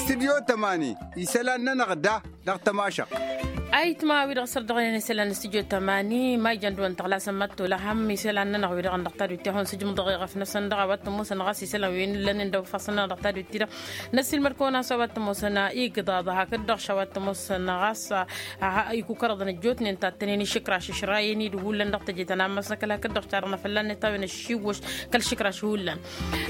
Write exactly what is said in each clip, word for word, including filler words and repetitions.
Stidyo tămani isălan-nănăɣ da dăɣ-tămašăɣt. Ayǝtma wi-dăɣ săr-dăɣ-nen isălan n-stidyo tămani ma ijăn dăɣ-wăn tăɣlasăn mad-tolăhăm isălan-nănăɣ wi-dăɣ dăɣ-tadut ti-ahun sǝjmǝḍ dăɣ-eɣăf-năsăn dăɣ-a-wa t-ămoosăn ɣas isălan wi n-lănen dăɣ-ifassăn-nănăɣ dăɣ-tadut-ti-dăɣ. Năssiilmăd-kăwăn a-s a-wa t-ămoosăn igǝḍaḍ hakd-dăɣ š-a-wa t-ămoosăn ɣas ikukărăḍăn ăjjootnen tattănen išǝkraš ǝšrayen-dd hullan dăɣ-teje ta n-ammas n-ăkall hakd-dăɣ š-ta-dăɣ n-afălla-net a-wen ăššiwwăš kăl-išǝkraš hullan.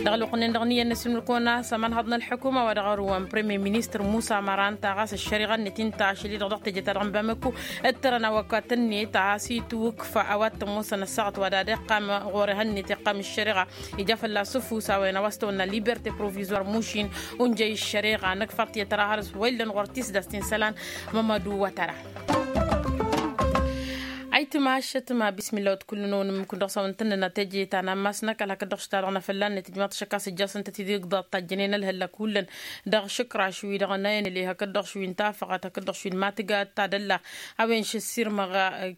Dăɣ-ălwăqq-nen-dăɣ n-iyyăn n-asǝlmǝl-kăwăn a-s ămanhăḍ n-ălḥukuma wa dăɣ-ărǝwăn premier ministăr musa măran ta ɣas ăššăriɣa-net inta ašăl-i-dăɣ dăɣ-teje ta dăɣ-n bamăku ǝttărăn awăkatăn-net a has-itwǝkf a-wa t-ămoosăn ăssaɣăt wa dad-iqqam ɣur-ehăn-net iqqam ăššăriɣa. Ija fălla-s ǝfus a-wen a-wa s-tăwănna liberté provisoir mušin unjăy ăššăriɣa năkk faḍt i-ad-tăra hărăs wa illăn ɣur-tisdast ti n-isălan. Mămădu wa tăra. Ayǝtma ašăt ma bismilla wăt kull-nănăɣ wa n-ǝmmǝk-wăn dăɣ-s a-wen tăn-nănna teje ta n-ammas n-ăkall hakd-dăɣ š-ta-dăɣ n-afălla-net ǝjmaḍ-t šăkk a-s ǝjjasăn-tăt-dd igḍaḍ tajjănen ălhăllăk hullan dăɣ-išǝkraš wi-dăɣ n-ayăn ăle hakd-dăɣ š-wi n-tafăɣat hakd-dăɣ š-wi n-matǝga ta d-ălla. A-wen šăssirmăɣ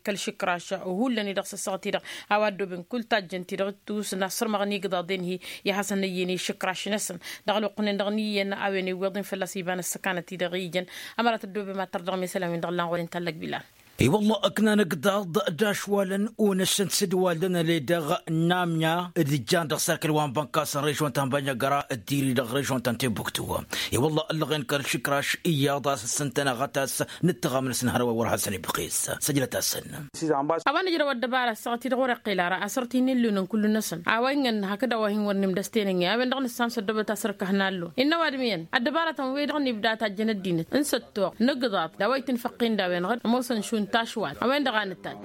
kăl-išǝkraš hullan-i-dăɣ s-ăssaɣăt-i-dăɣ a-wa ăddooben kull tajjăn-ti-dăɣ ittus n-asǝrmăɣ n-igḍaḍen-hi i-ad-hasăn-ăyyăyăn išǝkraš-năsăn. Dăɣ-ălwăqq-nen-dăɣ n-iyyăn a-wen iwweḍ-in fălla-s iba n-ăssăkanăt-i-dăɣ ijăn. Ămărat ăddoobem ad-tărdăɣăm isălan-win-dăɣ ǝllan ɣur-i n-tallăg bilal. I-wălla ǝknan igḍaḍ d-ašwalăn unăššăn s-dd-wallăn ăle dăɣ-namya d-ǝjjan dăɣ-serkăl wa n-bănkas n-režon ta n-bănjăgăra d-tiri dăɣ-režon ta n-tebuktu. I-wălla ǝllăɣen kăl-išǝkraš iyyăḍ a-s ǝssǝntăn aɣătas n-ǝttăɣamnăs n-hărwa wăr hasăn-ibxis săjdăt-asăn. A-wa nǝjrăw ăddăbara ăssaɣăt-i-dăɣ wăr-iqqel ara asăr-t hin-illun n-kullu-năsăn a-wa ǝnn hakd a-wa hin-wăr nimdăsten ǝnn i-a-wen-dăɣ nǝssan s-ăddobăt asăr-kăhna allo. Innă ăwadǝm iyyăn ăddăbarătăn-wi-dăɣ nibda tajjăn ăddinăt n-săttoɣ n-igḍaḍ d-a-wa itǝnfăqqin d-a-wen-dăɣ ămoosăn šund tašwalt a-wen-dăɣ a nǝttaj.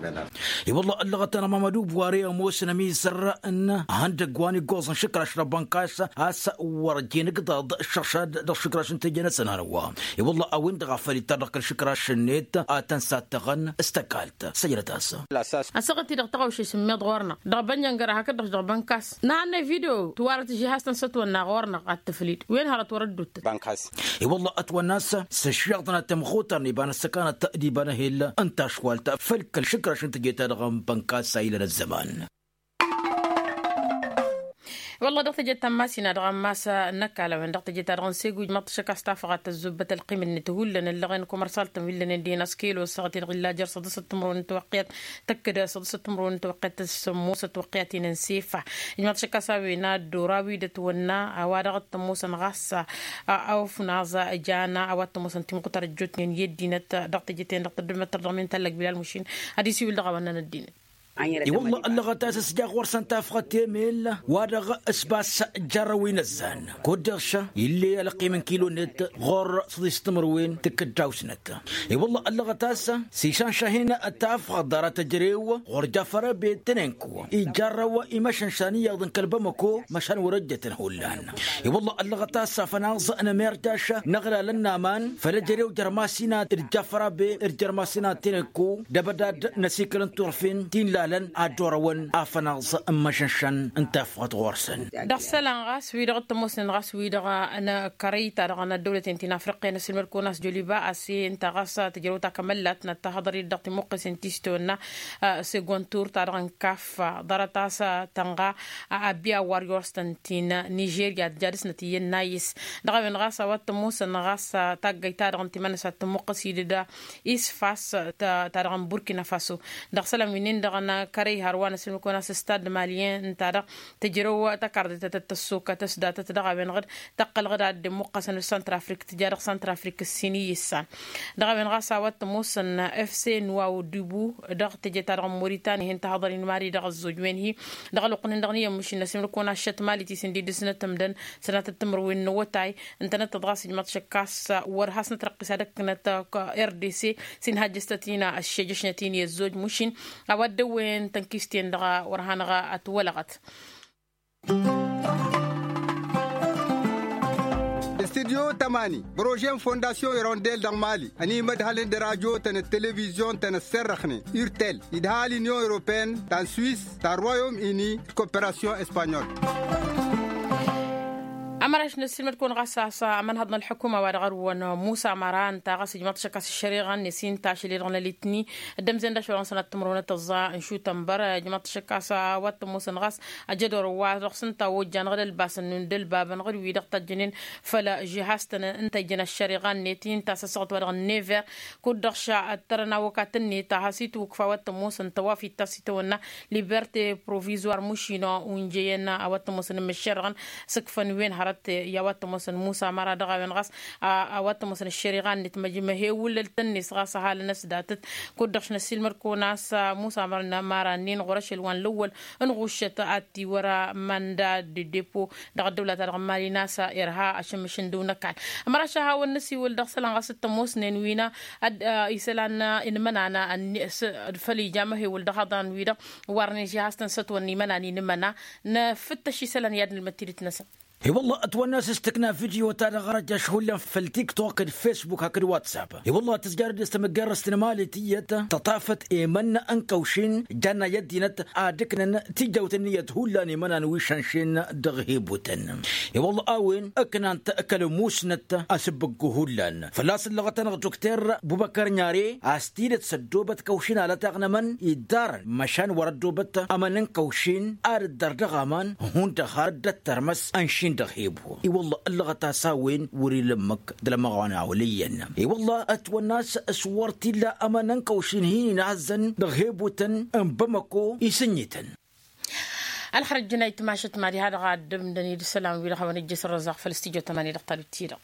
I-wălla ăllăɣăt-anăɣ mamădu buware ămoosăn ămizăr n-ihăndăgg wa n-iggoẓ n-išǝkraš dăɣ-bănkas a-s wăr jen igḍaḍ šăɣšad dăɣ-išǝkraš n-teje-năsăn hărwa. I-wălla a-wen-dăɣ a făl ittar dăɣ-kăl-išǝkraš-net a tăn-sattăɣăn s-tăkalt săjdăt-as. Asăɣăt-i-dăɣ tăɣawše s-ǝmmeḍ ɣur-năɣ dăɣ-bănjăngăra hakd-dăɣ dăɣ-bănkas n-ahănnay video tiwarăt ži has-tăn-sătwănna ɣur-năɣ ad-tǝflid wen hărăt wăr-ădduttăt. I-wălla ătwănna a-s s-ăššiɣăḍăn ad-tămxutărăn iba n-ăssăkanăt d-iba n-ehel n-tašwalt făll-kăl-išǝkraš n-teje-ta-dăɣ n-bănkas a ilăn ăzzăman. Wălla dăɣ-teje-ta n-masinadăɣ ammas n-ăkall a-wen dăɣ-teje-ta-dăɣ n-segu ijmăḍ-t šăkk a-s tafăɣat tăzzubbăt ălqim-net hullan ăllăɣen kumersal-tăn wi ǝllănen dinas kilo ăssaɣăt-i-dăɣ illa jer-săḍǝsăt timǝrwen n-tiwăqqiyat tăkk-dd săḍǝsăt timǝrwen n-tiwăqqiyat s-sămmosăt tiwăqqiyaten n-sifa. Ijmăḍ-t šăkk a-s a-wen ad-dd-ora wi dd-ătwănna a-wa dăɣ-t-ămoosăn ɣas a-wa t-ămoosăn timɣutăr ăjjootnen i-ăddinăt dăɣ-teje-ten-dăɣ tăddumăttăr dăɣ-min tallăg bilal mušin ad-isiwǝl dăɣ-a-wa ǝnnăn ăddinăt. I-wălla ăllăɣăt a-s ăsjaɣ ɣur-săn tafɣăt emel wa-dăɣ s-bass jarrăw inăzzan kud-dăɣ ša ill'-e ălqim n-kilo-net ɣur-săḍis timǝrwen tǝkkǝddaw-snăt. I-wălla ăllăɣăt a-s s-išanšahin tafɣăt ḍarăt ăjrew ɣur-jafăr abed tănenku ijarrăw imăšănšan iyyăḍ n-kăl-bamăko măšan wăr-ăjjătăn hullan. I-wălla ăllăɣăt a-s afănaẓ n-amerjaš n-aɣlalăn n-aman făll-ejărew jer-masinat d-jafărabe d-jer-masinat tinekku d-abădad n-asikăl n-turfen ti n-lalăn ad-dd-orăwăn afănaẓ n-imăšănšăn n-tafɣăt ɣur-săn. Dăɣ-isălan ɣas wi-dăɣ t-ămoosnen ɣas wi-dăɣ n-kărăy-ta-dăɣ n-ăddăwlăten ti n-afriqya n-ăssilmăd-kăwăn a-s joliba a-s i-ǝnta ɣas tǝjrăw ta kămăllat n-ăttahăḍăr-i-dd dăɣ-timuqqesen ti s-tăwănna segond tur-ta-dăɣ n-kaf ḍarăt a-s tănɣa a-abbiya warriors-tăn ti n-nižerya tǝja dăɣ-snăt iyyăn n-ayǝs. Dăɣ-a-wen ɣas a-wa t-ămoosăn ɣas taggăyt-ta-dăɣ n-timănăsat tămmuqqăs-dd isfas ta-dăɣ n-burkina faso. Dăɣ-isălan wi-nin-dăɣ n-kărăy hărwa n-ăssilmăd-kăwăn a-s stad malyen ǝnta-dăɣ tǝjrăw tăkarḍet ta tăssokăt s-datăt dăɣ-a-wen-dăɣ tăqqălăɣ-dd ad-dd-imuqqăsăn s-santrafrik tǝja dăɣ-santrafrik ǝssin iyyǝssan. Dăɣ-a-wen ɣas a-wa t-ămoosăn fc nuwaw dibu dăɣ-teje-ta-dăɣ n-moritan ih'-in tăhăḍăr-in mari dăɣ-ăzzoj wen-hi. Dăɣ-ălwăqq-nin-dăɣ n-iyyăn măšin n-asǝmǝl-kăwăn ašăt mali tisǝndid s-nătămdăn sănatăt timǝrwen n-awătay ǝntănăt tăḍɣas ijmaḍ šăkkas wăr has-nătrăqqis ad-ǝknăt rdc s-inhajjăs-tăt-in ăššejăšnăt-in i-ăzzoj măšin. A-wa dd-ăwwen tănkist-en-dăɣ wăr hanăɣ-ătwălăɣăt. Studyo tămani prože n-fondasyon irondel dăɣ-mali ănimădhălăn d-radyo-tăn d-televizyon-tăn ăssărrăxnen urtel idha l-inyon europeyăn ta n-swis ta n-royom ini d-koperasyon espanyol. Ămăraš n-ăssiilmăd-kăwăn ɣas a-s amănhăḍ n-ălḥukuma wa dăɣ-arǝwăn musa măra ǝnta ɣas ǝjmăḍ-t ašăk a-s ăššăriɣa-net i-ǝnta ašăl-i-dăɣ n-alitni. Dd-ămzen d-ašăl ɣur-săn ad-tǝmrăwăn ad-tăẓẓa n-šutăn băr ǝjmăḍ-t ašăk a-s a-wa t-ămoosăn ɣas ajădor wa-dăɣ s-ǝnta ojjan ɣǝd ălbasăn n-dd-ălbabăn ɣǝd-wi-dăɣ tajjănen făll-žihaz-tăn ǝnta ijăn ăššăriɣa-net i-ǝnta a-s ăssaɣăt wa dăɣ-never. Kud-dăɣ šăttărăn awăkat-net a has-itwǝkfa wa t-ămoosăn tăwafit ta s-itawănna liberte provizoir mušino unjăyăn a-wa t-ămoosăn ǝmmǝššerăɣăn s-ǝkfăn wen hărăt i-a-wa t-ămoosăn musa măra dăɣ-a-wen ɣas a-wa t-ămoosăn ăššăriɣa-net măjmăhewǝlăl-tăn-net ɣas ăhalăn-ăsdatăt. Kud-dăɣ š-năssiilmăd-kăwăn a-s musa măra-nin ɣur-ašăl wa n-lăwwăl n-ɣuššăt ad-t-iwăr amanda de depo dăɣ-ăddăwla-ta-dăɣ n-mali n-a-s irha ašǝmmǝš n-dăw n-ăkall. Ămăraš a hawăn-năsiwǝl dăɣ-isălan ɣas t-ămoosnen wi-năh isălan inmănan făll-ija amăhewǝl dăɣ-haḍan-wi-dăɣ warnen žihaz-tăn s-ătwănna imănan inmăna. Nǝfǝttăš isălan i-ad-nǝlmăd tidǝt-năsăn. I-wălla ătwănna a-s s-tǝkna video-ta-dăɣ ărăjjaš hullan făll-tiktok d-facebook hakd whatsapp. I-wălla tǝzjarăd s-tamǝggărrăst n-emali tiyyăt tăṭafăt emănna n-kăwšin janna i-ăddinăt ad-ǝknăn tijawt ǝnniyăt hullan imănan wi šănšen dăɣ-hebutăn. I-wălla a-wen ǝknant kăl-musnăt asǝbbǝggu hullan fălla-s ǝllăɣăt-anăɣ dukter bubăkăr n-are a-s tidǝt s-ăddoobăt kăwšin alătaɣ n-emăn iddarăn măšan wăr-ăddoobăt emăn n-kăwšin ad-ǝddăr dăɣ-aman hundăɣ har dd-ăttărmăs ănšin dăɣ-hebu. I-wălla ǝllăɣăt a-s a-wen wăr-ila ǝmmǝk d-lămăɣ wa n-awălăyyăn. I-wălla ătwănna a-s s-wăr t-illa emăn n-kăwšin hin-inhăzzăn dăɣ-hebutăn n-bamăko isǝnnyităn. Ălxărăt jǝnayt mašăt mad-iha-dăɣ a dd-ǝmdăn-dd isălan-wi-dăɣ hawăn-ăjjǝs ărrăẓaɣ făll-studyo tămani dăɣ-talǝt-ti-dăɣ.